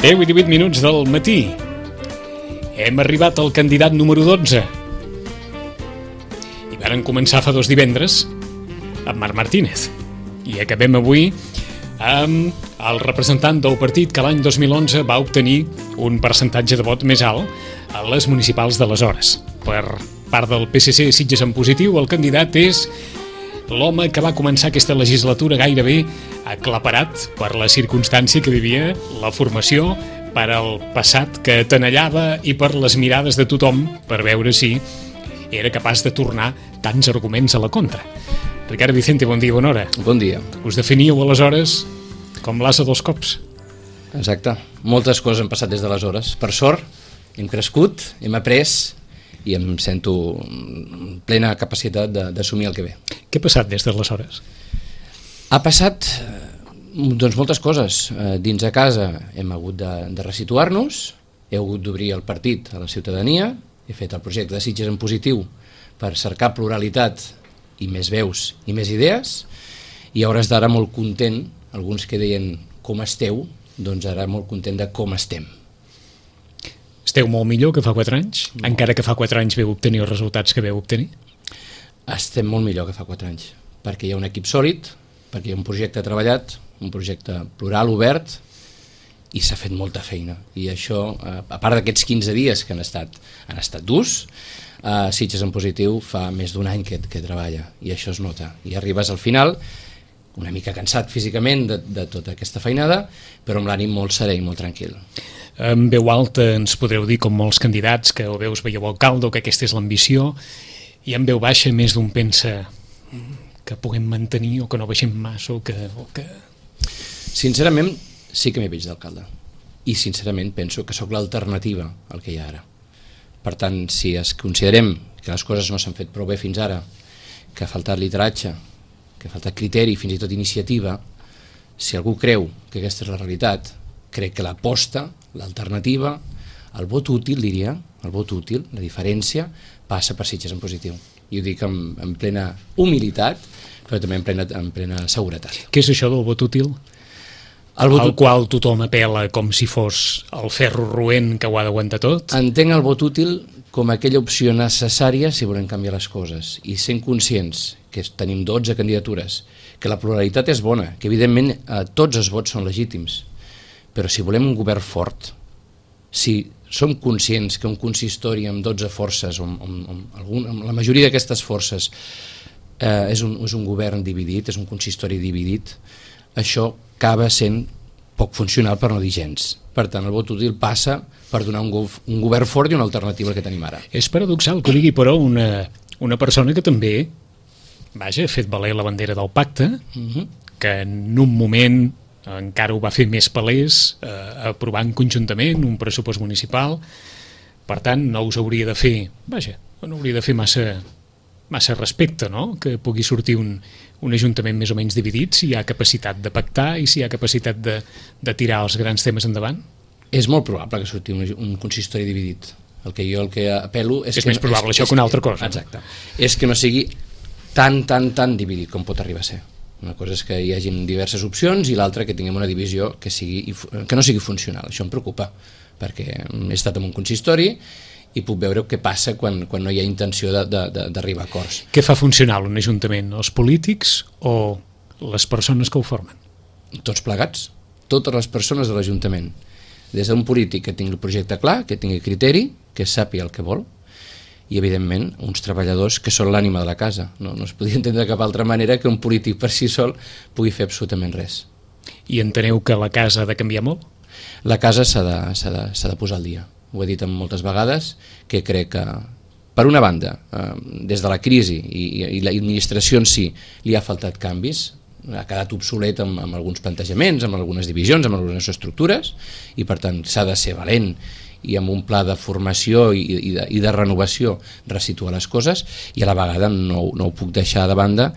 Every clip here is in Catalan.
10:18 del matí. Hem arribat al candidat número 12. I varen començar fa 2 divendres amb Marc Martínez. I acabem avui amb el representant del partit que l'any 2011 va obtenir un percentatge de vot més alt a les municipals d'aleshores. Per part del PSC Sitges en positiu, el candidat és l'home que va començar aquesta legislatura gairebé aclaparat per la circumstància que vivia la formació, per al passat que tenallava i per les mirades de tothom per veure si era capaç de tornar tants arguments a la contra. Ricard Vicente, bon dia, bona hora. Bon dia. Us definíeu aleshores com l'ase dels cops. Exacte. Moltes coses han passat des d'aleshores. Per sort, hem crescut, hem après i em sento plena capacitat d'assumir el que ve. Què ha passat des d'aleshores? Ha passat doncs, moltes coses. Dins de casa hem hagut de resituar-nos, he hagut d'obrir el partit a la ciutadania, he fet el projecte de Sitges en positiu per cercar pluralitat i més veus i més idees, i a hores d'ara molt content, alguns que deien com esteu, doncs ara molt content de com estem. Esteu molt millor que fa 4 anys? No. Encara que fa 4 anys veu obtenir els resultats que veu obtenir? Estem molt millor que fa 4 anys, perquè hi ha un equip sòlid, perquè hi ha un projecte treballat, un projecte plural, obert, i s'ha fet molta feina. I això, a part d'aquests 15 dies que han estat durs, Sitges en positiu fa més d'un any que treballa, i això es nota. I arribes al final, una mica cansat físicament de tota aquesta feinada, però amb l'ànim molt serè i molt tranquil. En veu alta ens podreu dir, com molts candidats, que o bé us veieu alcalde o que aquesta és l'ambició, i en veu baixa més d'un pensa que puguem mantenir o que no baixem massa o que... Sincerament, sí que m'hi veig d'alcalde. I sincerament penso que sóc l'alternativa al que hi ha ara. Per tant, si considerem que les coses no s'han fet prou bé fins ara, que ha faltat lideratge, que ha faltat criteri, fins i tot iniciativa, si algú creu que aquesta és la realitat, crec que l'aposta, l'alternativa, el vot útil, diria, el vot útil, la diferència, passa per Sitges en positiu. I ho dic en plena humilitat, però també en plena seguretat. Què és això del vot útil? Al qual tothom apela com si fos el ferro roent que ho ha d'aguantar tot? Entenc el vot útil com aquella opció necessària si volem canviar les coses, i sent conscients que tenim 12 candidatures, que la pluralitat és bona, que evidentment tots els vots són legítims, però si volem un govern fort, si som conscients que un consistori amb 12 forces, amb la majoria d'aquestes forces és un govern dividit, és un consistori dividit, això acaba sent poc funcional, per no dir gens. Per tant, el vot útil passa per donar un govern fort i una alternativa al que tenim ara. És paradoxal que ho digui, però, una persona que també ha fet valer la bandera del pacte, que en un moment encara ho va fer més palès, aprovant conjuntament un pressupost municipal. Per tant, no us hauria de fer, no hauria de fer massa respecte, no?, que pugui sortir un ajuntament més o menys dividit, si hi ha capacitat de pactar i si hi ha capacitat de tirar els grans temes endavant. És molt probable que surti un consistori dividit. El que apel·lo és més probable això que una altra cosa. Exacte. És que no sigui tan dividit com pot arribar a ser. Una cosa és que hi hagin diverses opcions i l'altra que tinguem una divisió que no sigui funcional. Això em preocupa, perquè he estat en un consistori i puc veure què passa quan no hi ha intenció d'arribar a acords. Què fa funcional un ajuntament? Els polítics o les persones que ho formen? Tots plegats, totes les persones de l'Ajuntament. Des d'un polític que tingui el projecte clar, que tingui criteri, que sàpiga el que vol, i evidentment uns treballadors que són l'ànima de la casa. No es podria entendre de cap altra manera que un polític per si sol pugui fer absolutament res. I enteneu que la casa ha de canviar molt? La casa s'ha de posar al dia. Ho he dit moltes vegades, que crec que, per una banda, des de la crisi i l'administració en si li ha faltat canvis, ha quedat obsolet amb alguns plantejaments, amb algunes divisions, amb algunes estructures, i per tant s'ha de ser valent i amb un pla de formació i de renovació resituar les coses, i a la vegada no ho puc deixar de banda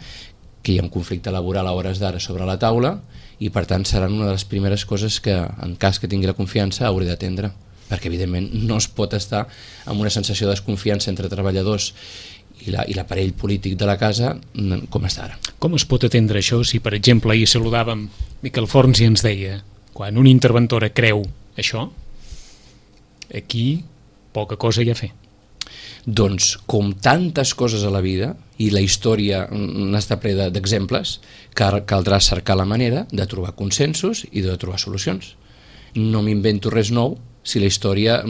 que hi ha un conflicte laboral a hores d'ara sobre la taula, i per tant seran una de les primeres coses que, en cas que tingui la confiança, hauré d'atendre, perquè evidentment no es pot estar amb una sensació de desconfiança entre treballadors i l'aparell polític de la casa com està ara. Com es pot atendre això si, per exemple, ahir saludàvem Miquel Forns i ens deia, quan una interventora creu això, aquí poca cosa hi ha a fer. Doncs, com tantes coses a la vida, i la història n'està plena d'exemples, caldrà cercar la manera de trobar consensos i de trobar solucions. No m'invento res nou si la història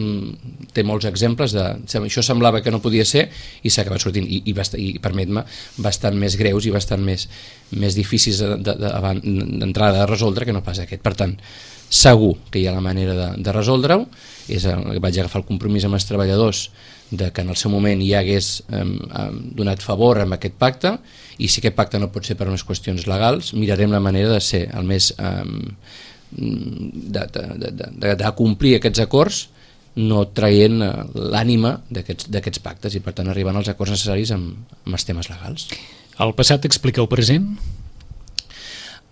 té molts exemples de... Això semblava que no podia ser i s'ha acabat sortint, i permet-me, bastant més greus i bastant més difícils d'entrada de resoldre que no pas aquest. Per tant, segur que hi ha la manera de resoldre-ho. Vaig agafar el compromís amb els treballadors de que en el seu moment hi hagués donat favor amb aquest pacte, i si aquest pacte no pot ser per unes qüestions legals, mirarem la manera de ser el més de complir aquests acords, no traient l'ànima d'aquests pactes, i per tant arribant als acords necessaris amb els temes legals. El passat explica el present?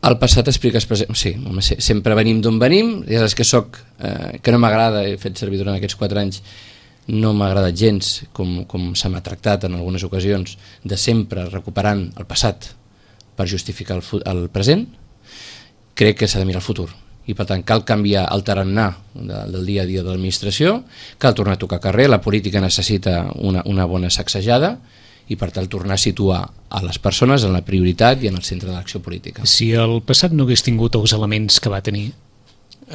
El passat explica el present, sí, sempre venim d'on venim. Ja saps que no m'agrada, he fet servir durant aquests 4 anys, no m'ha agradat gens com se m'ha tractat en algunes ocasions, de sempre recuperant el passat per justificar el present. Crec que s'ha de mirar el futur, i per tant cal canviar el tarannà del dia a dia de l'administració, cal tornar a tocar carrer, la política necessita una bona sacsejada, i per tant tornar a situar a les persones en la prioritat i en el centre de l'acció política. Si el passat no hagués tingut els elements que va tenir,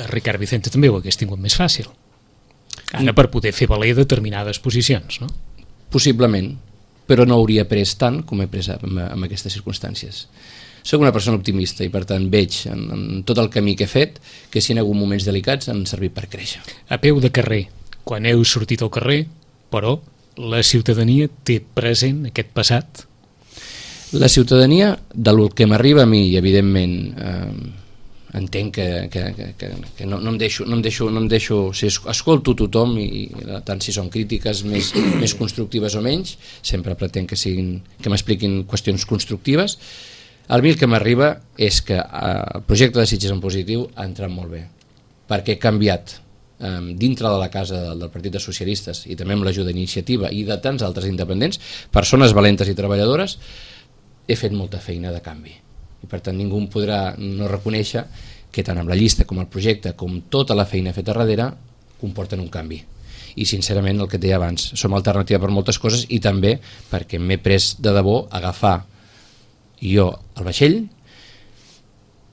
Ricard Vicente també ho hagués tingut més fàcil. Ara per poder fer valer determinades posicions, no? Possiblement, però no hauria pres tant com he pres en aquestes circumstàncies. Soc una persona optimista i per tant veig en tot el camí que he fet que si en algun moments delicats han servit per créixer. A peu de carrer, quan heu sortit al carrer, però la ciutadania té present aquest passat? La ciutadania, del que m'arriba a mi, i evidentment entenc que no em deixo, si escolto tothom, i tant si són crítiques més constructives o menys, sempre pretenc que m'expliquin qüestions constructives. A mi el que m'arriba és que el projecte de Sitges en positiu ha entrat molt bé, perquè he canviat dintre de la casa del Partit dels Socialistes, i també amb l'ajuda d'Iniciativa i de tants altres independents, persones valentes i treballadores, he fet molta feina de canvi. I per tant ningú em podrà no reconèixer que tant amb la llista com el projecte com tota la feina feta darrere comporten un canvi. I sincerament el que et deia abans, som alternativa per moltes coses, i també perquè m'he pres de debò agafar jo el vaixell,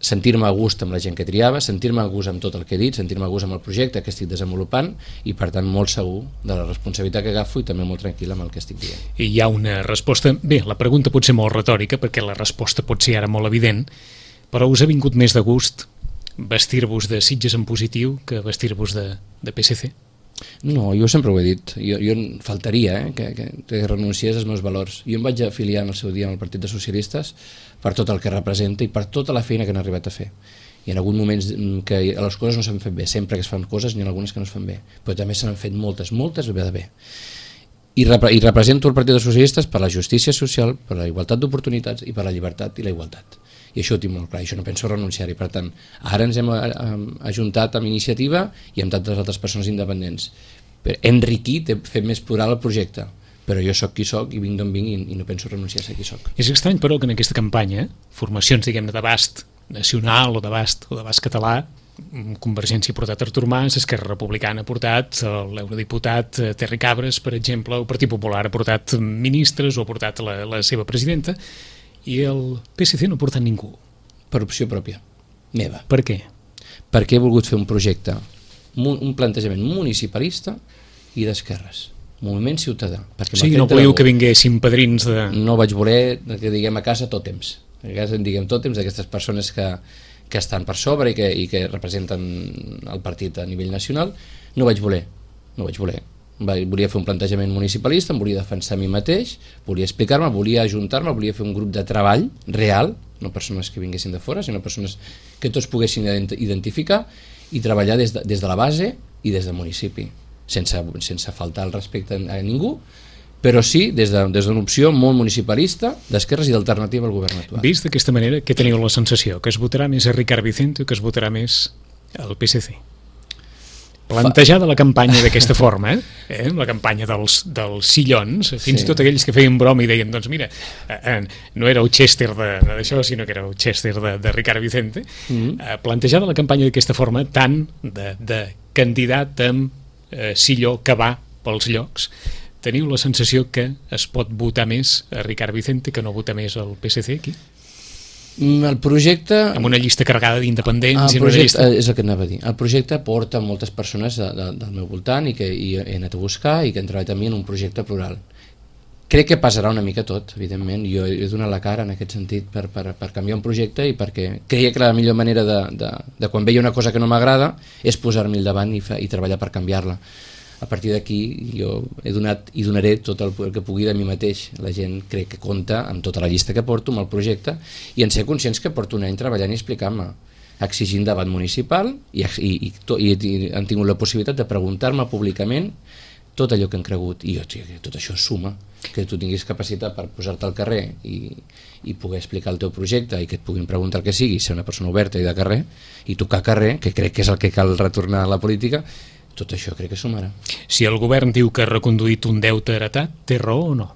sentir-me a gust amb la gent que triava, sentir-me a gust amb tot el que he dit, sentir-me a gust amb el projecte que estic desenvolupant, i per tant molt segur de la responsabilitat que agafo i també molt tranquil amb el que estic dient. I hi ha una resposta, bé, la pregunta pot ser molt retòrica perquè la resposta pot ser ara molt evident, però us ha vingut més de gust vestir-vos de Sitges en positiu que vestir-vos de PSC? No, jo sempre ho he dit, jo faltaria que renunciés als meus valors. Jo em vaig afiliar en el seu dia amb el Partit dels Socialistes per tot el que representa i per tota la feina que han arribat a fer. Hi ha alguns moments que les coses no s'han fet bé, sempre que es fan coses n'hi ha algunes que no es fan bé, però també s'han fet moltes de bé. I represento el Partit dels Socialistes per la justícia social, per la igualtat d'oportunitats i per la llibertat i la igualtat. I això ho tinc molt clar, i això no penso renunciar-hi. Per tant, ara ens hem ajuntat amb Iniciativa i amb tantes altres persones independents. He enriquit, he fet més plural el projecte, però jo sóc qui sóc i vinc d'on vinc i no penso renunciar a ser qui sóc. És estrany, però, que en aquesta campanya, formacions, diguem-ne, d'abast nacional o d'abast català, Convergència ha portat Artur Mas, Esquerra Republicana ha portat l'eurodiputat Terry Cabres, per exemple, el Partit Popular ha portat ministres o ha portat la seva presidenta, i el PSC no ha portat ningú. Per opció pròpia, meva. Per què? Perquè he volgut fer un projecte, un plantejament municipalista i d'esquerres, moviment ciutadà. O sigui, no volíeu que vinguessin padrins de... No vaig voler que diguem a casa tòtems, a casa en diguem tòtems d'aquestes persones que estan per sobre i que representen el partit a nivell nacional. No vaig voler. Volia fer un plantejament municipalista, em volia defensar a mi mateix, volia explicar-me, volia ajuntar-me, volia fer un grup de treball real, no persones que vinguessin de fora, sinó persones que tots poguessin identificar i treballar des de la base i des del municipi, sense faltar el respecte a ningú, però sí des d'una opció molt municipalista, d'esquerres i d'alternativa al govern actual. Vist d'aquesta manera, què teniu la sensació? Que es votarà més a Ricard Vicente o que es votarà més al PSC? Plantejada la campanya d'aquesta forma, la campanya dels sillons, fins i tot aquells que feien broma i deien, doncs mira, no era el Chester d'això, sinó que era el Chester de Ricard Vicente, plantejada la campanya d'aquesta forma, tant de candidat amb silló que va pels llocs, teniu la sensació que es pot votar més a Ricard Vicente que no votar més al PSC aquí? El projecte... Amb una llista carregada d'independents i una llista... És el que anava a dir. El projecte porta moltes persones del meu voltant i que he anat a buscar i que han treballat amb mi en un projecte plural. Crec que passarà una mica tot, evidentment. Jo he donat la cara en aquest sentit per canviar un projecte i perquè creia que la millor manera de quan veia una cosa que no m'agrada és posar-m'hi al davant i treballar per canviar-la. A partir d'aquí jo he donat i donaré tot el que pugui de mi mateix. La gent crec que compta amb tota la llista que porto, amb el projecte, i en ser conscients que porto un any treballant i explicant-me, exigint debat municipal i han tingut la possibilitat de preguntar-me públicament tot allò que han cregut, i jo, tot això suma, que tu tinguis capacitat per posar-te al carrer i poder explicar el teu projecte i que et puguin preguntar el que sigui, ser una persona oberta i de carrer i tocar carrer, que crec que és el que cal retornar a la política. Tot això crec que sumarà. Si el govern diu que ha reconduït un deute heretat, té raó o no?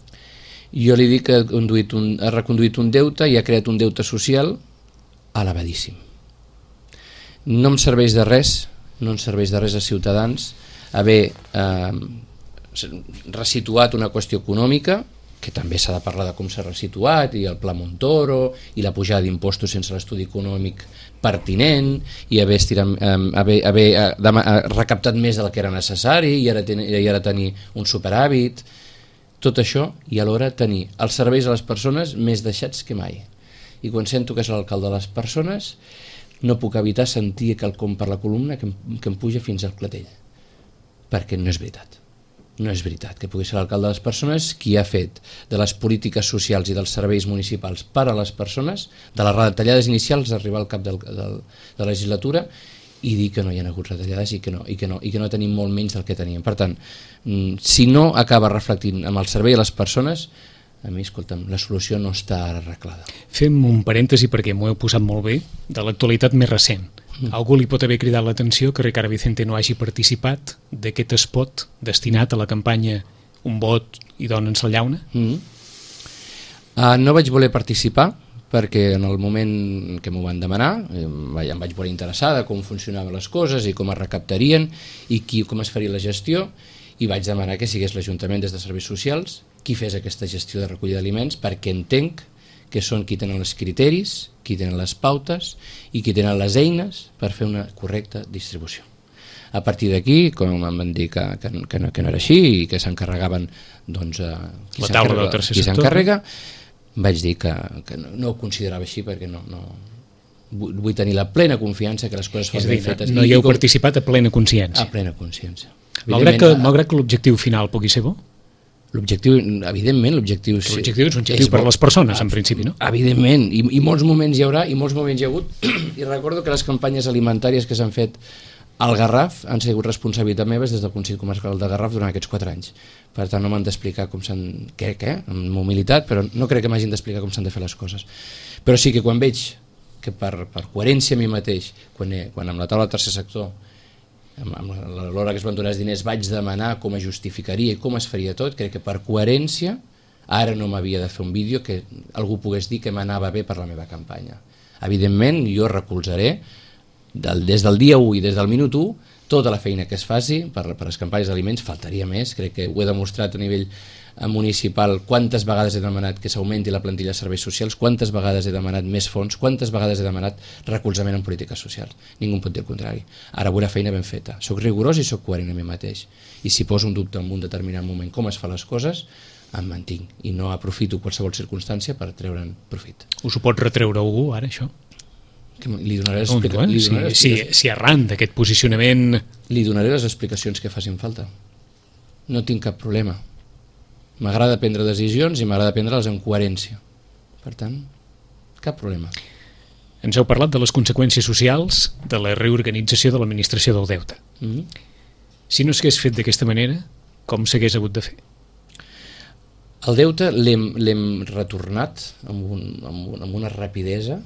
Jo li dic que ha reconduït un deute i ha creat un deute social elevadíssim. No em serveix de res, no ens serveix de res a Ciutadans haver resituat una qüestió econòmica, que també s'ha de parlar de com s'ha resituat, i el Pla Montoro, i la pujada d'impostos sense l'estudi econòmic pertinent, i haver recaptat més del que era necessari, i ara tenir un superàvit, tot això, i alhora tenir els serveis a les persones més deixats que mai. I quan sento que és l'alcalde de les persones, no puc evitar sentir quelcom per la columna que em puja fins al clatell, perquè no és veritat. No és veritat que pugui ser l'alcalde de les persones qui ha fet de les polítiques socials i dels serveis municipals per a les persones, de les retallades inicials d'arribar al cap de la legislatura, i dir que no hi ha hagut retallades i que no tenim molt menys del que teníem. Per tant, si no acaba reflectint amb el servei a les persones, a mi, escolta'm, la solució no està arreglada. Fem un parèntesi perquè m'ho heu posat molt bé, de l'actualitat més recent. Algú li pot haver cridat l'atenció que Ricard Vicente no hagi participat d'aquest spot destinat a la campanya Un vot i dona'ns la llauna? No vaig voler participar perquè en el moment que m'ho van demanar em vaig veure interessada com funcionaven les coses i com es recaptarien i com es faria la gestió, i vaig demanar que sigués l'Ajuntament des de Serveis Socials qui fes aquesta gestió de recollida d'aliments, perquè entenc que són qui tenen els criteris, qui tenen les pautes i qui tenen les eines per fer una correcta distribució. A partir d'aquí, com em van dir que no era així i que s'encarregaven qui s'encarrega, vaig dir que no ho considerava així perquè no vull tenir la plena confiança que les coses foren ben fetes. No hi heu participat a plena consciència? A plena consciència. Malgrat que l'objectiu final pugui ser bo? L'objectiu, evidentment, l'objectiu és un objectiu per a les persones, en principi, no? Evidentment, i molts moments hi haurà, i molts moments hi ha hagut, i recordo que les campanyes alimentàries que s'han fet al Garraf han sigut responsabilitat meves des del Consell Comarcal de Garraf durant aquests 4 anys. Per tant, no m'han d'explicar com s'han... amb humilitat, però no crec que m'hagin d'explicar com s'han de fer les coses. Però sí que quan veig que per coherència a mi mateix, quan amb la taula del tercer sector, amb l'hora que es van donar els diners, vaig demanar com es justificaria i com es faria tot, crec que per coherència ara no m'havia de fer un vídeo que algú pogués dir que m'anava bé per la meva campanya. Evidentment, jo recolzaré des del dia 1 i des del minut 1 tota la feina que es faci per les campanyes d'aliments, faltaria més, crec que ho he demostrat a nivell municipal, quantes vegades he demanat que s'augmenti la plantilla de serveis socials, quantes vegades he demanat més fons, quantes vegades he demanat recolzament en polítiques socials. Ningú em pot dir el contrari. Ara vull la feina ben feta. Soc rigorós i soc coherent a mi mateix. I si poso un dubte en un determinat moment com es fan les coses, em mantinc i no aprofito qualsevol circumstància per treure'n profit. Us ho pot retreure algú ara, això? Li donaré les si arran d'aquest posicionament... Li donaré les explicacions que facin falta. No tinc cap problema. M'agrada prendre decisions i m'agrada prendre-les en coherència. Per tant, cap problema. Ens heu parlat de les conseqüències socials de la reorganització de l'administració del deute. Si no s'hagués fet d'aquesta manera, com s'hagués hagut de fer? El deute l'hem retornat amb una rapidesa,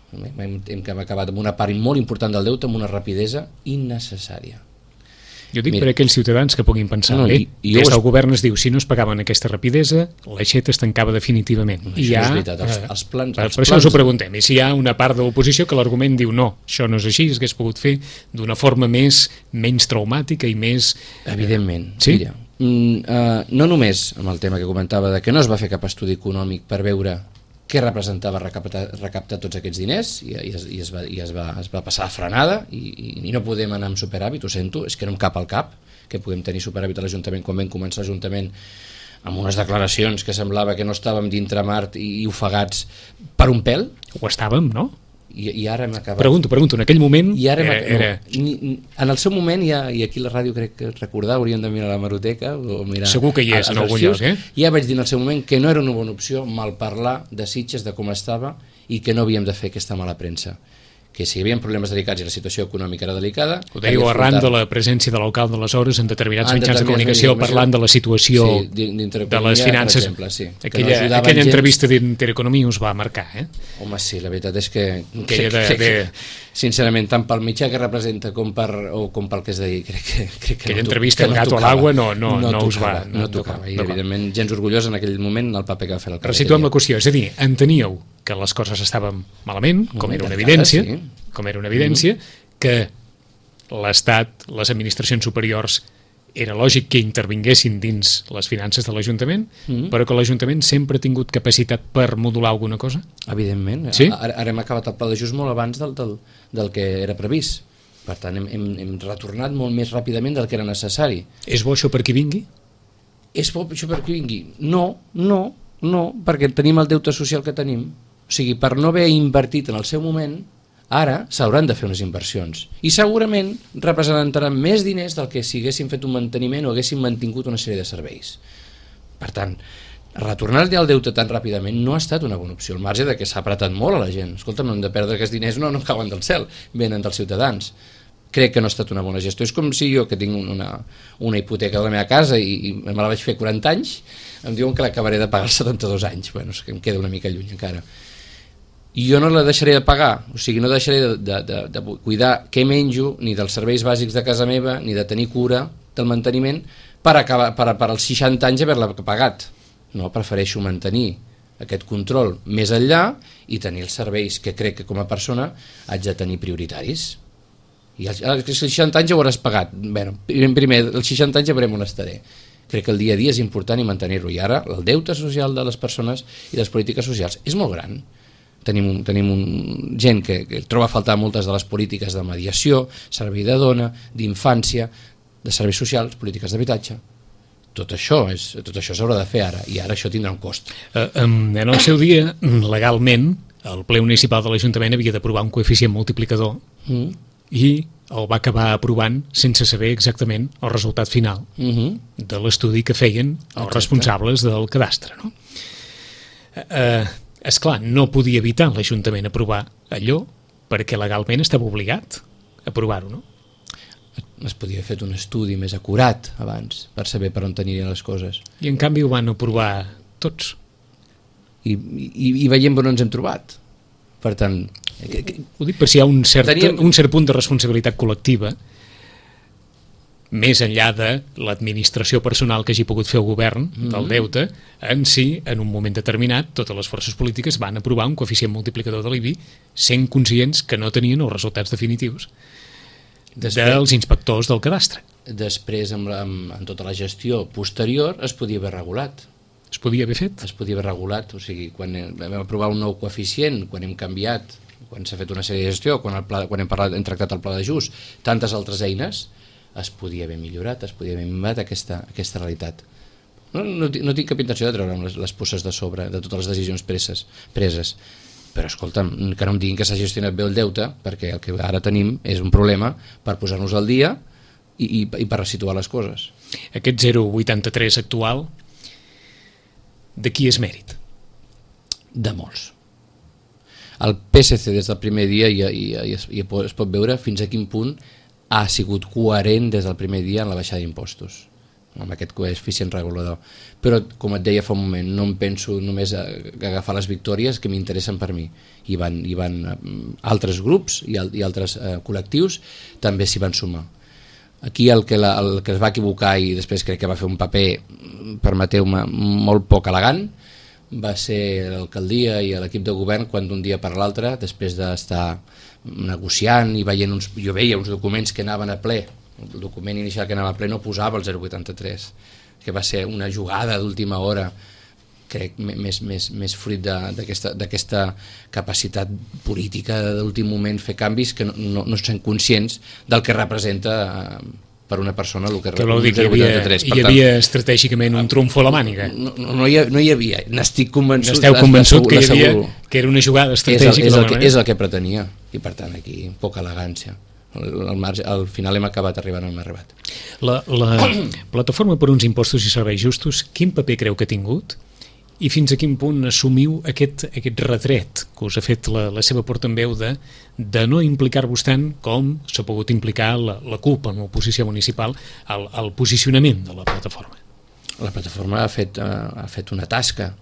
hem acabat amb una part molt important del deute amb una rapidesa innecessària. Jo dic per aquells ciutadans que puguin pensar, des del govern es diu, si no es pagaven aquesta rapidesa, l'aixeta es tancava definitivament. Això és veritat, els plans... Per això us ho preguntem, i si hi ha una part de l'oposició que l'argument diu no, això no és així, es hagués pogut fer d'una forma menys traumàtica i més... Evidentment, sí? Mira, no només amb el tema que comentava de que no es va fer cap estudi econòmic per veure què representava recaptar tots aquests diners i es va passar a frenada i no podem anar amb superàvit, ho sento, és que no em cap al cap que puguem tenir superàvit a l'Ajuntament quan vam començar l'Ajuntament amb unes declaracions que semblava que no estàvem dintre mar i ofegats per un pèl. Ho estàvem, no? I ara hem acabat... Pregunto, en aquell moment en el seu moment, i aquí la ràdio crec que recordar, hauríem de mirar la hemeroteca o mirar... Segur que hi és en algun lloc, Ja vaig dir en el seu moment que no era una bona opció malparlar de Sitges, de com estava, i que no havíem de fer aquesta mala premsa, que si hi havia problemes delicats i la situació econòmica era delicada... Ho dèieu arran de la presència de l'alcalde d'aleshores en determinats mitjans de comunicació parlant de la situació de les finances. Per exemple, sí. Aquella entrevista d'Intereconomia us va marcar, Home, sí, la veritat és que sincerament, tant pel mitjà que representa com pel que es deia, crec que aquella entrevista El gato a l'aigua no us va... No tocava, i evidentment gens orgullós en aquell moment el paper que va fer l'alcalde. Resituem la qüestió, és a dir, enteníeu que les coses estaven malament, com era una evidència, que l'Estat, les administracions superiors, era lògic que intervinguessin dins les finances de l'Ajuntament, però que l'Ajuntament sempre ha tingut capacitat per modular alguna cosa? Evidentment. Sí? Ara hem acabat el pla d'ajust molt abans del que era previst. Per tant, hem retornat molt més ràpidament del que era necessari. És bo això per qui vingui? És bo això per qui vingui? No, perquè tenim el deute social que tenim. O sigui, per no haver invertit en el seu moment, ara s'hauran de fer unes inversions. I segurament representaran més diners del que si haguessin fet un manteniment o haguessin mantingut una sèrie de serveis. Per tant, retornar el deute tan ràpidament no ha estat una bona opció, al marge de que s'ha apretat molt a la gent. Escolta, no hem de perdre aquests diners, no cauen del cel, venen dels ciutadans. Crec que no ha estat una bona gestió. És com si jo, que tinc una hipoteca de la meva casa i me la vaig fer 40 anys, em diuen que l'acabaré de pagar als 72 anys. Bueno, és que em queda una mica lluny encara. I jo no la deixaré de pagar, o sigui, no deixaré de cuidar què menjo, ni dels serveis bàsics de casa meva, ni de tenir cura del manteniment, per als 60 anys haver-la pagat. No, prefereixo mantenir aquest control més enllà i tenir els serveis que crec que com a persona haig de tenir prioritaris. I als 60 anys ja ho hauràs pagat. Bé, primer, als 60 anys ja veurem on estaré. Crec que el dia a dia és important i mantenir-ho. I ara el deute social de les persones i les polítiques socials és molt gran. Tenim gent que troba a faltar moltes de les polítiques de mediació, servei de dona, d'infància, de serveis socials, polítiques d'habitatge. Tot això s'haurà de fer ara, i ara això tindrà un cost. En el seu dia, legalment, el ple municipal de l'Ajuntament havia d'aprovar un coeficient multiplicador i el va acabar aprovant sense saber exactament el resultat final de l'estudi que feien els responsables del cadastre, no? Esclar, no podia evitar l'Ajuntament aprovar allò perquè legalment estava obligat a aprovar-ho, no? Es podia haver fet un estudi més acurat abans per saber per on tenirien les coses. I en canvi ho van aprovar tots. I veiem on ens hem trobat. Per tant... Ho dic per si hi ha un cert punt de responsabilitat col·lectiva més enllà de l'administració personal que hagi pogut fer el govern del deute, en si, en un moment determinat, totes les forces polítiques van aprovar un coeficient multiplicador de l'IBI sent conscients que no tenien els resultats definitius dels inspectors del cadastre. Després, en tota la gestió posterior, es podia haver regulat. Es podia haver fet? Es podia haver regulat, o sigui, quan vam aprovar un nou coeficient, quan hem canviat, quan s'ha fet una sèrie de gestió, quan hem tractat el pla d'ajust, tantes altres eines, es podia haver millorat, es podia haver millorat aquesta realitat. No tinc cap intenció de treure'm les puces de sobre de totes les decisions preses, però escolta'm, que no em diguin que s'ha gestionat bé el deute, perquè el que ara tenim és un problema per posar-nos al dia i per resituar les coses. Aquest 0,83 actual, de qui és mèrit? De molts. El PSC des del primer dia i es pot veure fins a quin punt ha sigut coherent des del primer dia en la baixada d'impostos, amb aquest coeficient regulador. Però, com et deia fa un moment, no em penso només a agafar les victòries que m'interessen per mi. Hi van altres grups i altres col·lectius també s'hi van sumar. Aquí el que es va equivocar i després crec que va fer un paper, permeteu-me, molt poc elegant, va ser l'alcaldia i l'equip de govern quan d'un dia per l'altre, després d'estar negociant i veient jo veia uns documents que anaven a ple, el document inicial que anava a ple no posava el 0,83, que va ser una jugada d'última hora, crec, més fruit d'aquesta capacitat política d'últim moment fer canvis que no són conscients del que representa per una persona el que representa el 0,83. Hi havia estratègicament un trumfo a la màniga. No hi havia, n'estic convençut. N'esteu convençut que que era una jugada estratègica? És el que pretenia, i per tant aquí poca elegància. Al final hem acabat arribant on hem arribat. La plataforma per uns impostos i serveis justos, quin paper creu que ha tingut? I fins a quin punt assumiu aquest retret que us ha fet la seva portaveu de no implicar-vos tant com s'ha pogut implicar la CUP en l'oposició municipal al posicionament de la plataforma? La plataforma ha fet una tasca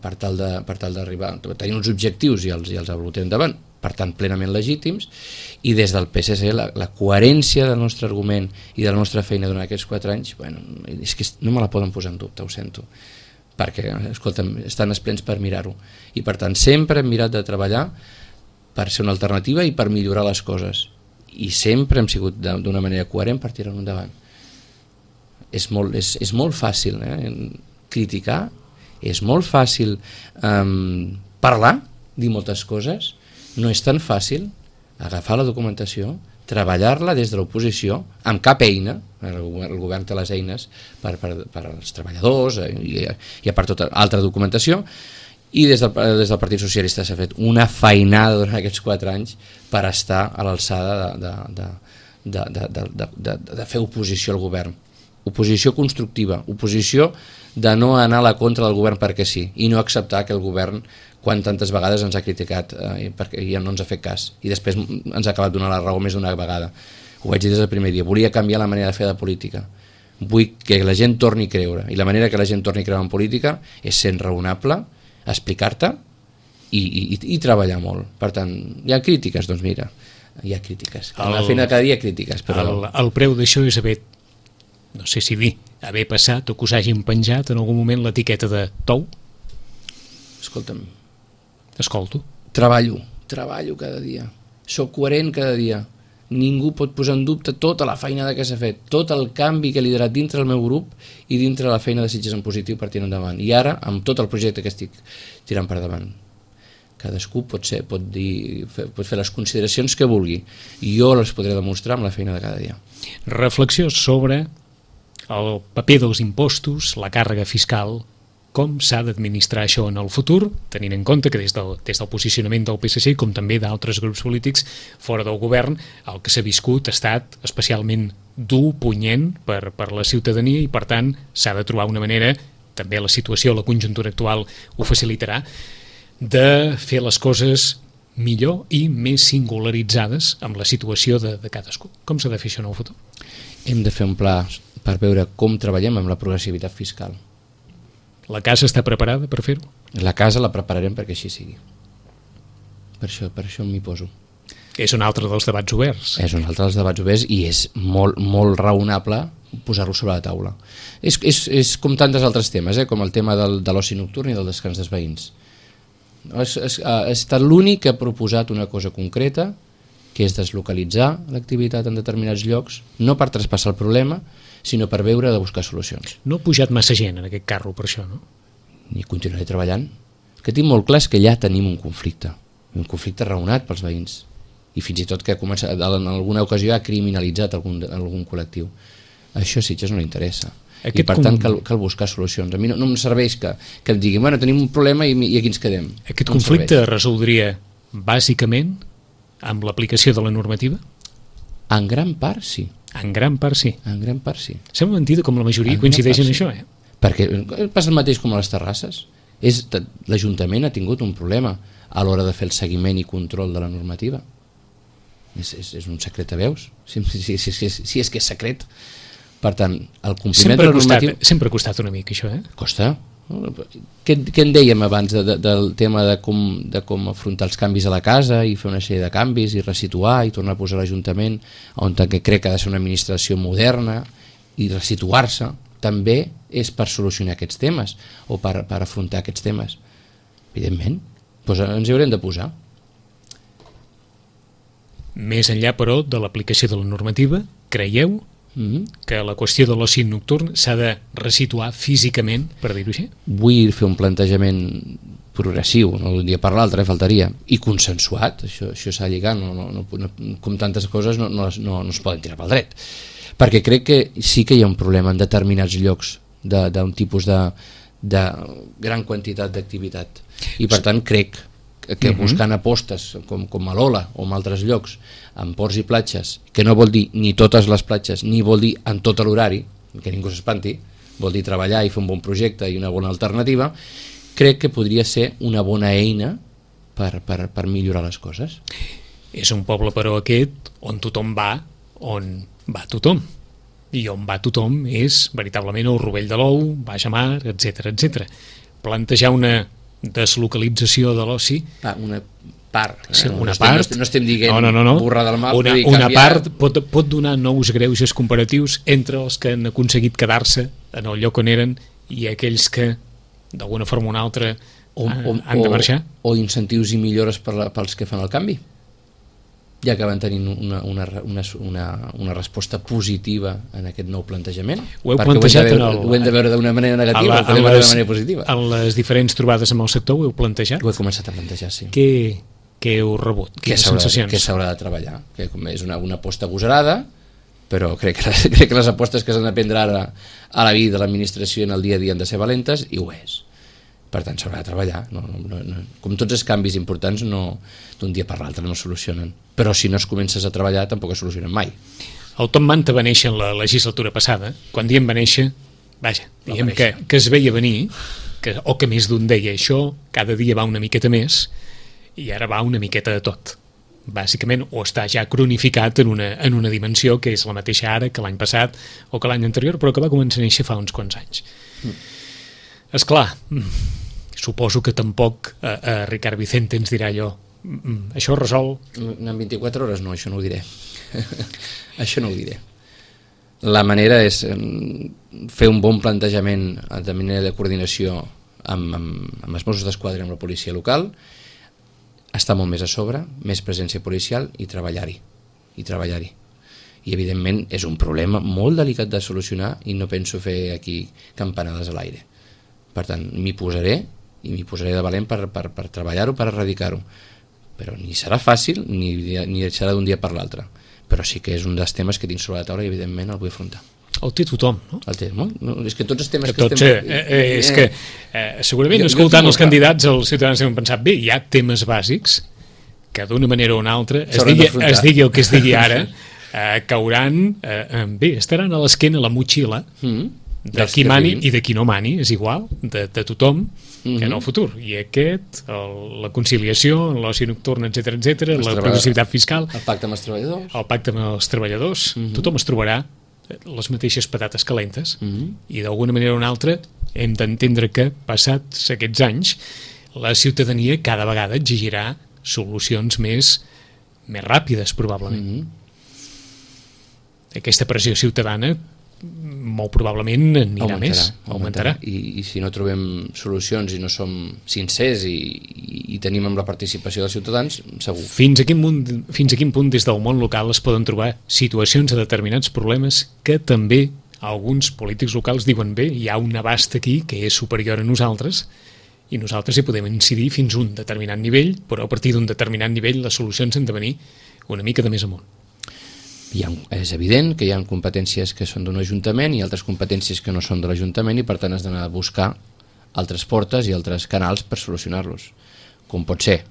per tal d'arribar a tenir uns objectius i els ha volgut endavant, per tant plenament legítims, i des del PSC la coherència del nostre argument i de la nostra feina durant aquests 4 anys, bueno, és que no me la poden posar en dubte, ho sento, perquè, escolta'm, estan esplens per mirar-ho, i per tant sempre hem mirat de treballar per ser una alternativa i per millorar les coses, i sempre hem sigut d'una manera coherent per tirar-ho endavant. És molt fàcil criticar, és molt fàcil parlar, dir moltes coses, no és tan fàcil agafar la documentació, treballar-la des de l'oposició amb cap eina, el govern té les eines per als treballadors i per tota altra documentació, i des del Partit Socialista s'ha fet una feinada durant aquests 4 anys per estar a l'alçada de fer oposició al govern, oposició constructiva, oposició de no anar a la contra del govern perquè sí, i no acceptar que el govern, quan tantes vegades ens ha criticat perquè ja no ens ha fet cas, i després ens ha acabat donant la raó més d'una vegada. Ho vaig dir des del primer dia, volia canviar la manera de fer de política, vull que la gent torni a creure, i la manera que la gent torni a creure en política és sent raonable, explicar-te i treballar molt. Per tant, hi ha crítiques? Doncs mira, hi ha crítiques, a la feina de cada dia hi ha crítiques, però el preu d'això és no sé si dir, haver passat o que us hagin penjat en algun moment l'etiqueta de tou? Escolta'm, escolto. Treballo cada dia, soc coherent cada dia, ningú pot posar en dubte tota la feina que s'ha fet, tot el canvi que he liderat dintre del meu grup i dintre la feina de Sitges en positiu per tirar endavant, i ara amb tot el projecte que estic tirant per davant. Cadascú pot fer les consideracions que vulgui, i jo les podré demostrar amb la feina de cada dia. Reflexió sobre el paper dels impostos, la càrrega fiscal, com s'ha d'administrar això en el futur, tenint en compte que des del posicionament del PSC, com també d'altres grups polítics fora del govern, el que s'ha viscut ha estat especialment dur, punyent per la ciutadania, i per tant s'ha de trobar una manera, també la situació, la conjuntura actual ho facilitarà, de fer les coses millor i més singularitzades amb la situació de cadascú. Com s'ha de fer això en el futur? Hem de fer un pla per veure com treballem amb la progressivitat fiscal. La casa està preparada per fer-ho? La casa la prepararem perquè així sigui. Per això m'hi poso. És un altre dels debats oberts. És un altre dels debats oberts i és molt raonable posar-lo sobre la taula. És com tantes altres temes, com el tema de l'oci nocturn i del descans dels veïns. Ha estat l'únic que ha proposat una cosa concreta, que és deslocalitzar l'activitat en determinats llocs, no per traspassar el problema, sinó per veure de buscar solucions. No ha pujat massa gent en aquest carro per això, no? I continuaré treballant. El que tinc molt clar és que ja tenim un conflicte raonat pels veïns, i fins i tot que en alguna ocasió ha criminalitzat algun col·lectiu. Això a Sitges no li interessa. I per tant cal buscar solucions. A mi no em serveix que em diguin, bueno, tenim un problema i aquí ens quedem. Aquest conflicte es resoldria bàsicament amb l'aplicació de la normativa? En gran part sí. En gran part sí. En gran part sí. Sembla mentida com la majoria coincideix en això, Perquè passa el mateix com a les terrasses. L'Ajuntament ha tingut un problema a l'hora de fer el seguiment i control de la normativa. És un secret a veus, si és que és secret. Per tant, el compliment de la normativa... Sempre ha costat una mica això, Costa, Què en dèiem abans del tema de com afrontar els canvis a la casa i fer una sèrie de canvis i resituar i tornar a posar l'Ajuntament on crec que ha de ser una administració moderna i resituar-se també és per solucionar aquests temes o per afrontar aquests temes. Evidentment, doncs ens hi haurem de posar. Més enllà, però, de l'aplicació de la normativa, creieu que la qüestió de l'oci nocturn s'ha de resituar físicament, per dir-ho així? Vull fer un plantejament progressiu, no d'un dia per l'altre, faltaria, i consensuat, això s'ha de lligar, com tantes coses no es poden tirar pel dret, perquè crec que sí que hi ha un problema en determinats llocs d'un tipus de gran quantitat d'activitat, i per tant crec que buscant apostes com a l'Ola o en altres llocs, en ports i platges, que no vol dir ni totes les platges, ni vol dir en tot l'horari, que ningú s'espanti, vol dir treballar i fer un bon projecte i una bona alternativa, crec que podria ser una bona eina per millorar les coses. És un poble, però, aquest on tothom va, on va tothom. I on va tothom és veritablement el Rovell de l'Ou, Baix a Mar, etc. Plantejar una deslocalització de l'oci... Una part. Sí, una part. No estem dient burra del mar. Una part pot donar nous greuges comparatius entre els que han aconseguit quedar-se en el lloc on eren i aquells que, d'alguna forma o una altra, han de marxar. O incentius i millores pels que fan el canvi. Ja que van tenir una resposta positiva en aquest nou plantejament, ho heu plantejat ho hem de veure d'una manera negativa o d'una manera positiva. En les diferents trobades amb el sector ho heu plantejat? Ho he començat a plantejar, sí. Què heu rebut? Quines sensacions? Què s'haurà de treballar? Que és una aposta agosarada, però crec que les apostes que s'han de prendre ara a la vida de l'administració en el dia a dia han de ser valentes, i ho és. Per tant, s'haurà de treballar. Com tots els canvis importants, d'un dia per l'altre no es solucionen. Però si no es comences a treballar, tampoc es solucionen mai. El Tom Manta va néixer en la legislatura passada. Quan diem va néixer, diem que es veia venir, o que més d'un deia això, cada dia va una miqueta més, i ara va una miqueta de tot. Bàsicament, o està ja cronificat en una dimensió que és la mateixa ara que l'any passat o que l'any anterior, però que va començar a néixer fa uns quants anys. Esclar, suposo que tampoc Ricard Vicente ens dirà allò, això es resol... En 24 hores no, això no ho diré. Això no ho diré. La manera és fer un bon plantejament de manera de coordinació amb els Mossos d'Esquadra i amb la policia local, estar molt més a sobre, més presència policial i treballar-hi. I evidentment és un problema molt delicat de solucionar i no penso fer aquí campanades a l'aire. Per tant, m'hi posaré de valent per treballar-ho, per erradicar-ho, però ni serà fàcil ni serà d'un dia per l'altre, però sí que és un dels temes que tinc sobre la taula i evidentment el vull afrontar. El té tothom, no? El té, no? És que tots els temes que és que segurament escoltant els candidats els ciutadans han pensat, bé, hi ha temes bàsics que d'una manera o una altra es digui el que es digui ara, cauran, bé, estaran a l'esquena la motxilla de qui mani i de qui no mani, és igual, de tothom en el futur. I la conciliació, l'oci nocturn, etc., la progressivitat fiscal, el pacte amb els treballadors, tothom es trobarà les mateixes patates calentes i d'alguna manera o una altra hem d'entendre que passats aquests anys la ciutadania cada vegada exigirà solucions més ràpides probablement. Aquesta pressió ciutadana molt probablement augmentarà. I si no trobem solucions i no som sincers i tenim amb la participació dels ciutadans, segur. Fins a quin punt des del món local es poden trobar situacions de determinats problemes que també alguns polítics locals diuen, bé, hi ha un abast aquí que és superior a nosaltres i nosaltres hi podem incidir fins a un determinat nivell, però a partir d'un determinat nivell les solucions han de venir una mica de més amunt. És evident que hi ha competències que són d'un ajuntament i altres competències que no són de l'Ajuntament i per tant has d'anar a buscar altres portes i altres canals per solucionar-los, com pot ser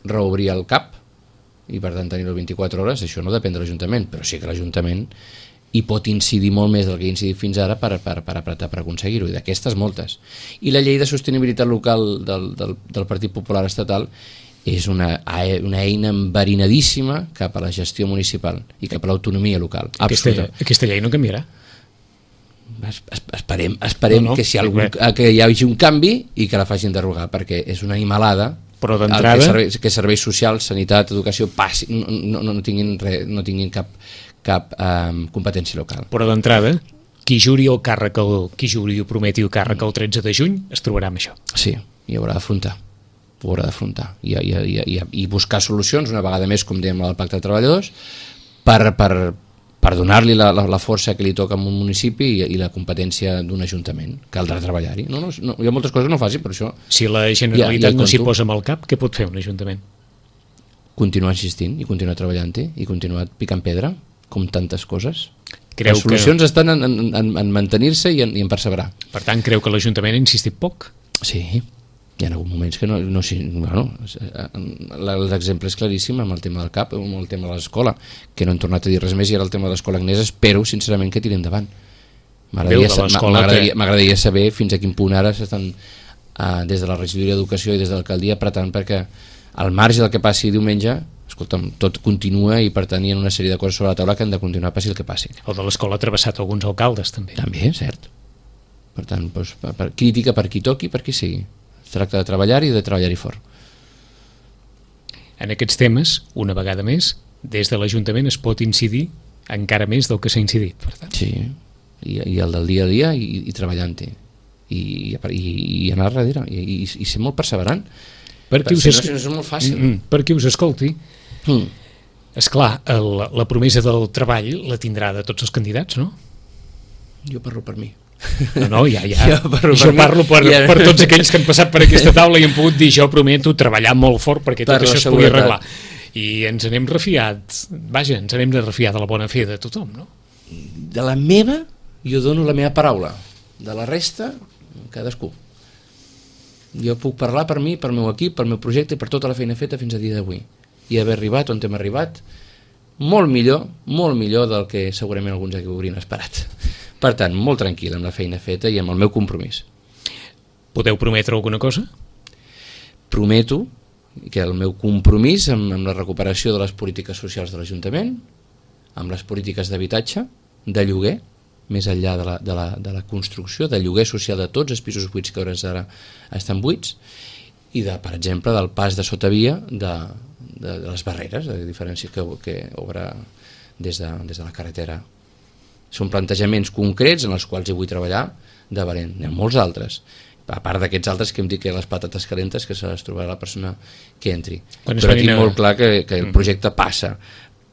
reobrir el CAP i per tant tenir-lo 24 hores. Això no depèn de l'Ajuntament, però sí que l'Ajuntament hi pot incidir molt més del que ha incidit fins ara per apretar per aconseguir-ho, i d'aquestes moltes. I la llei de sostenibilitat local del Partit Popular Estatal és una eina enverinadíssima cap a la gestió municipal i cap a l'autonomia local. Aquesta llei no canviarà? esperem que hi hagi un canvi i que la facin derogar, perquè és una animalada. Però d'entrada que serveis socials, sanitat, educació no tinguin cap competència local. Però d'entrada, qui juri o prometi el càrrec el 13 de juny es trobarà amb això. Sí, i haurà d'afrontar. I buscar solucions, una vegada més, com dèiem al Pacte de Treballadors, per donar-li la força que li toca a un municipi i la competència d'un ajuntament. Caldrà treballar-hi. No, hi ha moltes coses que no faci, per això... Si la Generalitat no s'hi posa amb el cap, què pot fer un ajuntament? Continuar insistint i continuar treballant-hi i continuar picant pedra, com tantes coses. Les solucions estan en mantenir-se i en perseverar. Per tant, creu que l'Ajuntament ha insistit poc? Sí, hi ha hagut moments que els exemples claríssims amb el tema del CAP, amb el tema de l'escola, que no han tornat a dir res més, i ara el tema de l'escola Agnès espero sincerament que tiri endavant. M'agradaria saber fins a quin punt ara s'estan des de la regidoria d'Educació i des de l'alcaldia apretant perquè al marge del que passi diumenge, escolta'm, tot continua i per tant hi ha una sèrie de coses sobre la taula que han de continuar passi el que passi. El de l'escola ha travessat alguns alcaldes també. També, cert. Per tant, crítica per qui toqui, per qui sigui. Es tracta de treballar i de treballar-hi fort. En aquests temes, una vegada més, des de l'Ajuntament es pot incidir encara més del que s'ha incidit, per tant. Sí, i el del dia a dia i treballant-hi i anar darrere i ser molt perseverant. No és molt fàcil. Per qui us escolti, esclar, la promesa del treball la tindrà de tots els candidats, no? Jo parlo per mi. No, ja. Jo parlo per tots aquells que han passat per aquesta taula i han pogut dir, jo prometo treballar molt fort perquè tot això es pugui arreglar. I ens n'hem refiat, ens n'hem de refiar de la bona fe de tothom, no? De la meva, jo dono la meva paraula. De la resta, cadascú. Jo puc parlar per mi, pel meu equip, pel meu projecte i per tota la feina feta fins a dia d'avui. I haver arribat on hem arribat, molt millor del que segurament alguns aquí haurien esperat. Per tant, molt tranquil amb la feina feta i amb el meu compromís. Podeu prometre alguna cosa? Prometo que el meu compromís amb la recuperació de les polítiques socials de l'Ajuntament, amb les polítiques d'habitatge, de lloguer, més enllà de la construcció, de lloguer social de tots els pisos buits que ara estan buits, i per exemple, del pas de sotavia de les barreres, de diferència que obre des de la carretera. Són plantejaments concrets en els quals hi vull treballar de valent. N'hi ha molts altres, a part d'aquests altres que hem dit que les patates calentes que se les trobarà la persona que entri. Però tinc molt clar que el projecte passa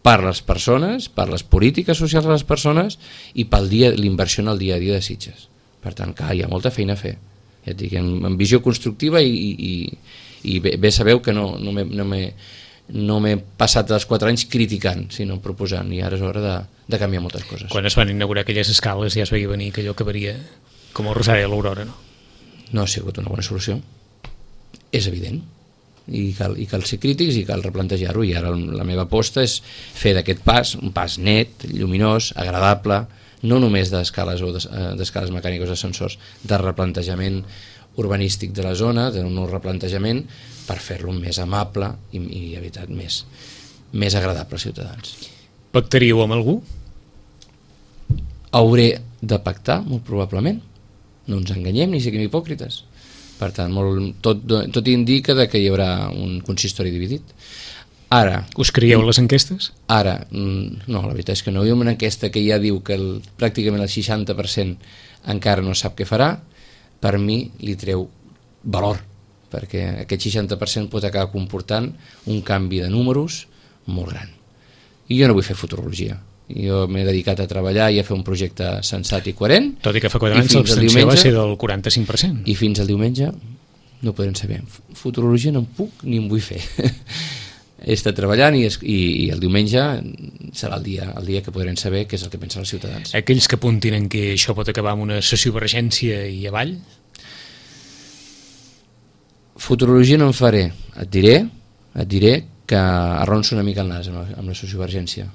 per les persones, per les polítiques socials de les persones i per l'inversió en el dia a dia de Sitges. Per tant, hi ha molta feina a fer. Ja et dic, amb visió constructiva i bé sabeu que no m'he passat els 4 anys criticant, sinó proposant, i ara és hora de canviar moltes coses. Quan es van inaugurar aquelles escales ja es veia venir que allò acabaria com el Rosari a l'Aurora, no? No ha sigut una bona solució, és evident, i cal ser crítics i cal replantejar-ho, i ara la meva aposta és fer d'aquest pas un pas net, lluminós, agradable, no només d'escales mecàniques o d'ascensors, de replantejament urbanístic de la zona, d'un nou replantejament per fer-lo més amable i evitat més agradable als ciutadans. Pactaríeu amb algú? Hauré de pactar, molt probablement. No ens enganyem ni siguem hipòcrites. Per tant, tot indica que hi haurà un consistori dividit. Ara... Us creieu les enquestes? Ara, no, la veritat és que no. Hi ha una enquesta que ja diu que pràcticament el 60% encara no sap què farà. Per mi li treu valor, perquè aquest 60% pot acabar comportant un canvi de números molt gran. I jo no vull fer futurologia. Jo m'he dedicat a treballar i a fer un projecte sensat i coherent. Tot i que fa 4 anys l'abstenció va ser del 45%. I fins al diumenge no ho podrem saber. Futurologia no en puc ni en vull fer. He estat treballant i el diumenge serà el dia que podrem saber què és el que pensen els ciutadans. Aquells que apuntin en que això pot acabar amb una sociovergència i avall? Futurologia no en faré. Et diré que arronso una mica el nas amb la sociovergència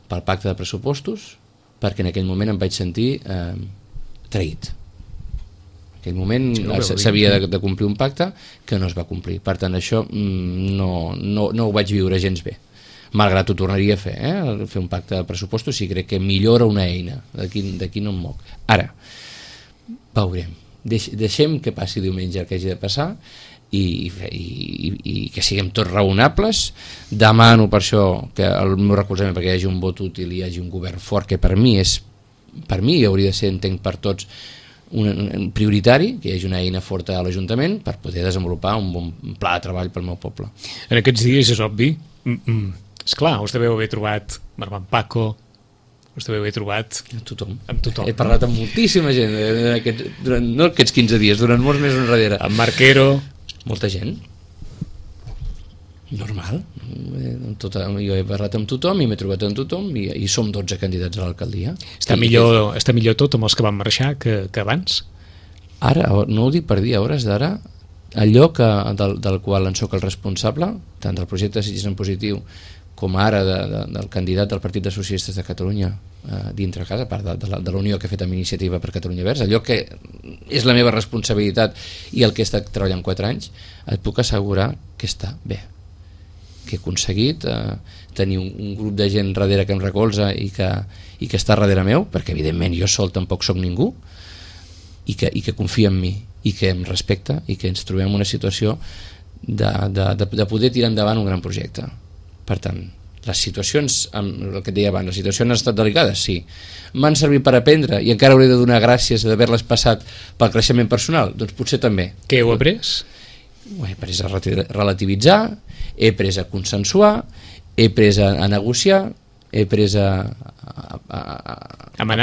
pel pacte de pressupostos, perquè en aquell moment em vaig sentir traït. En aquell moment s'havia de complir un pacte que no es va complir. Per tant, això no ho vaig viure gens bé. malgrat ho tornaria a fer, fer un pacte de pressupostos si crec que millora una eina, d'aquí no em moc. Ara, veurem, deixem que passi diumenge el que hagi de passar i que siguem tots raonables. Demano per això que el meu recolzament perquè hi hagi un vot útil i hi hagi un govern fort, que per mi hauria de ser, entenc per tots, un prioritari, que hi hagi una eina forta a l'Ajuntament per poder desenvolupar un bon pla de treball pel meu poble. En aquests dies és obvi, esclar, us deveu haver trobat amb Paco, us deveu haver trobat amb tothom. He parlat amb moltíssima gent no aquests 15 dies, durant molts mesos enrere. Amb Marquero, molta gent normal, jo he parlat amb tothom i m'he trobat amb tothom i som 12 candidats a l'alcaldia. Està millor tot amb els que van marxar que abans? Ara, no ho dic per dir, a hores d'ara allò del qual en soc el responsable, tant del projecte de Sitges en Positiu com ara del candidat del Partit de Socialistes de Catalunya dintre casa, a part de la unió que he fet amb Iniciativa per Catalunya Verds, allò que és la meva responsabilitat i el que he estat treballant 4 anys, et puc assegurar que està bé, que he aconseguit tenir un grup de gent darrere que em recolza i que està darrere meu, perquè evidentment jo sol tampoc soc ningú, i que confia en mi i que em respecta i que ens trobem en una situació de poder tirar endavant un gran projecte. Per tant, les situacions, el que et deia abans, les situacions han estat delicades, sí. M'han servit per aprendre i encara hauré de donar gràcies d'haver-les passat pel creixement personal? Doncs potser també. Què heu après? Ho he après a relativitzar, he après a consensuar, he après a negociar, he après a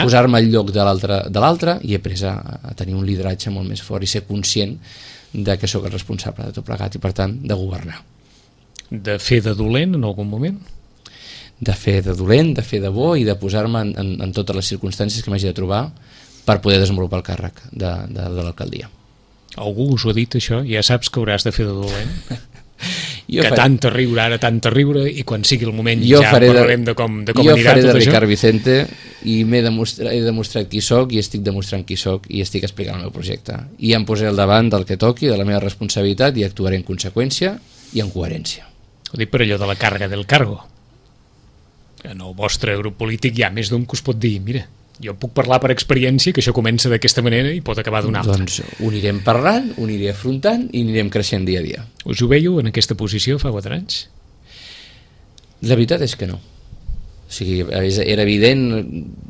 posar-me al lloc de l'altre i he après a tenir un lideratge molt més fort i ser conscient de que sóc el responsable de tot plegat i per tant de governar. De fer de dolent en algun moment? De fer de dolent, de fer de bo i de posar-me en totes les circumstàncies que m'hagi de trobar per poder desenvolupar el càrrec de l'alcaldia. Algú us ho ha dit això? Ja saps que hauràs de fer de dolent? Tant a riure ara, tant a riure, i quan sigui el moment ja parlarem de com anirà tot això. Jo faré de Ricard Vicente i he demostrat qui soc i estic demostrant qui soc i estic explicant el meu projecte. I em posaré al davant del que toqui, de la meva responsabilitat i actuaré en conseqüència i en coherència. Ho dic per allò de la càrrega del cargo. En el vostre grup polític hi ha més d'un que us pot dir, mira, jo puc parlar per experiència que això comença d'aquesta manera i pot acabar d'una altra. Doncs ho anirem parlant, ho aniré afrontant i anirem creixent dia a dia. Us ho veieu en aquesta posició fa 4 anys? La veritat és que no. O sigui, era evident,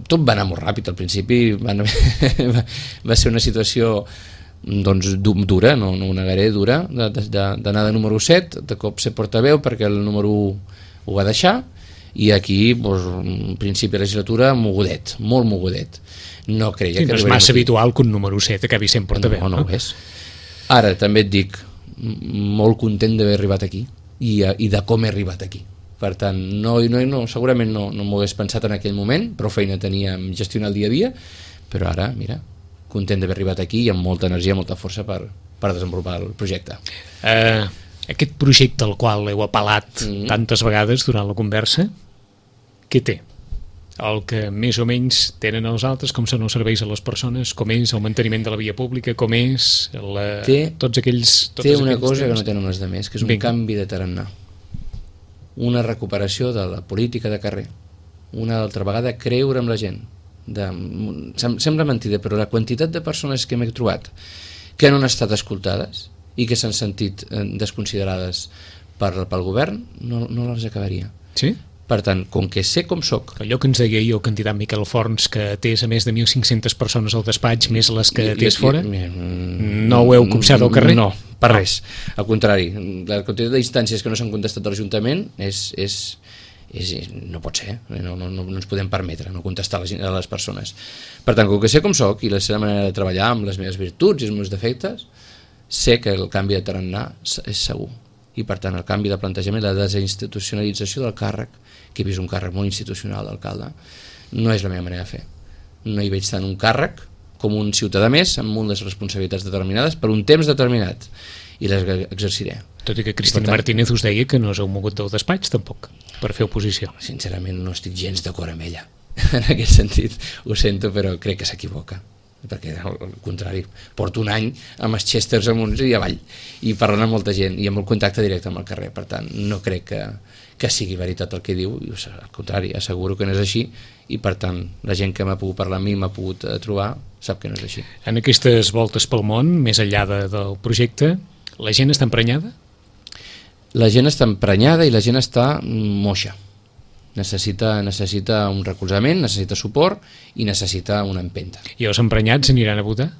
tot va anar molt ràpid al principi, va ser una situació doncs dura, no ho negaré, dura, d'anar de número 7, de cop ser portaveu perquè el número 1 ho va deixar, i aquí, en principi de legislatura, mogudet, molt mogudet. No creia que... No és massa habitual que un número 7 acabi sent portaveu. No ho és. Ara, també et dic, molt content d'haver arribat aquí i de com he arribat aquí. Per tant, segurament no m'ho hagués pensat en aquell moment, prou feina tenia en gestionar el dia a dia, però ara, mira, content d'haver arribat aquí i amb molta energia, molta força per desenvolupar el projecte. Aquest projecte al qual heu apel·lat tantes vegades durant la conversa, què té? El que més o menys tenen els altres, com són els serveis a les persones, com és el manteniment de la via pública, com és tots aquells... Té una cosa que no tenen els altres, que és un canvi de tarannà. Una recuperació de la política de carrer. Una altra vegada creure en la gent. Sembla mentida, però la quantitat de persones que m'he trobat que no han estat escoltades i que s'han sentit desconsiderades pel govern, no les acabaria. Sí? Per tant, com que sé com soc... Allò que ens deia ahir el candidat Miquel Forns, que atès a més de 1.500 persones al despatx, més les que atès fora, no ho heu copsat al carrer? No, per res. Al contrari, la quantitat d'instàncies que no s'han contestat a l'Ajuntament no pot ser, no ens podem permetre no contestar a les persones. Per tant, com que sé com soc i la seva manera de treballar amb les meves virtuts i els meus defectes, sé que el canvi de tarannà és segur. I per tant el canvi de plantejament, la desinstitucionalització del càrrec, que he vist un càrrec molt institucional d'alcalde, no és la meva manera de fer. No hi veig tant un càrrec com un ciutadà més amb unes responsabilitats determinades per un temps determinat i les exerciré. Tot i que Cristina Martínez us deia que no us heu mogut del despatx tampoc per fer oposició. Sincerament no estic gens d'acord amb ella en aquest sentit, ho sento, però crec que s'equivoca. perquè al contrari, porto un any amb els Chesters amunt i avall i parlant amb molta gent i amb el contacte directe amb el carrer, per tant no crec que sigui veritat el que diu, al contrari, asseguro que no és així i per tant la gent que m'ha pogut parlar amb mi, m'ha pogut trobar, sap que no és així. En aquestes voltes pel món, més enllà del projecte, la gent està emprenyada? La gent està emprenyada i la gent està moixa. Necessita un recolzament, necessita suport i necessita una empenta. I els emprenyats aniran a votar?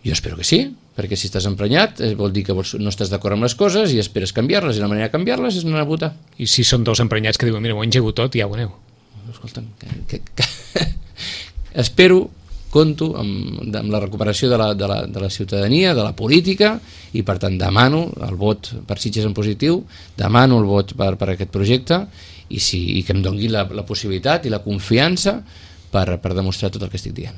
Jo espero que sí, perquè si estàs emprenyat vol dir que no estàs d'acord amb les coses i esperes canviar-les, i la manera de canviar-les és anar a votar. I si són dos emprenyats que diuen, mira, ho he engegut tot i ja ho aneu? Escolta'm, espero, compto amb la recuperació de la ciutadania, de la política, i per tant demano el vot per Sitges en positiu, demano el vot per aquest projecte i que em doni la possibilitat i la confiança per demostrar tot el que estic dient.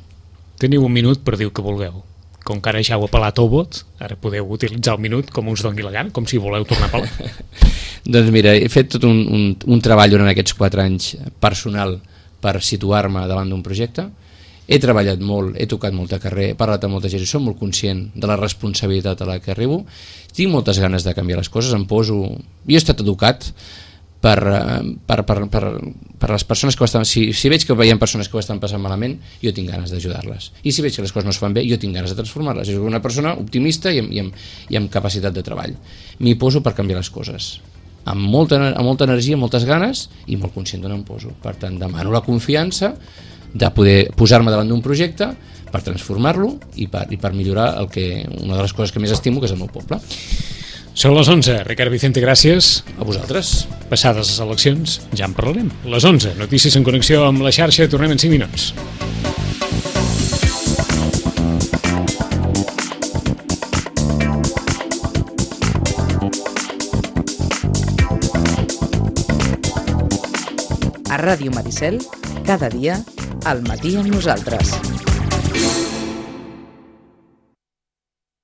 Teniu un minut per dir el que vulgueu. Com que ara ja heu apel·lat el vot, ara podeu utilitzar el minut com us doni la gana, com si voleu tornar a apel·lar. Doncs mira, he fet tot un treball durant aquests 4 anys personal per situar-me davant d'un projecte. He treballat molt, he tocat molt de carrer, he parlat amb molta gent i soc molt conscient de la responsabilitat a la que arribo. Tinc moltes ganes de canviar les coses, Jo he estat educat per les persones que ho estan... Si veig que veiem persones que ho estan passant malament, jo tinc ganes d'ajudar-les. I si veig que les coses no es fan bé, jo tinc ganes de transformar-les. Jo soc una persona optimista i amb capacitat de treball. M'hi poso per canviar les coses. Amb molta energia, moltes ganes i molt conscient d'on em poso. Per tant, demano la confiança de poder posar-me davant d'un projecte per transformar-lo i per millorar una de les coses que més estimo, que és el meu poble. Són les 11. Ricard Vicente, gràcies. A vosaltres. Passades les eleccions, ja en parlarem. Les 11. Notícies en connexió amb la xarxa. Tornem en 5 minuts. A Ràdio Maricel, cada dia, al matí amb nosaltres.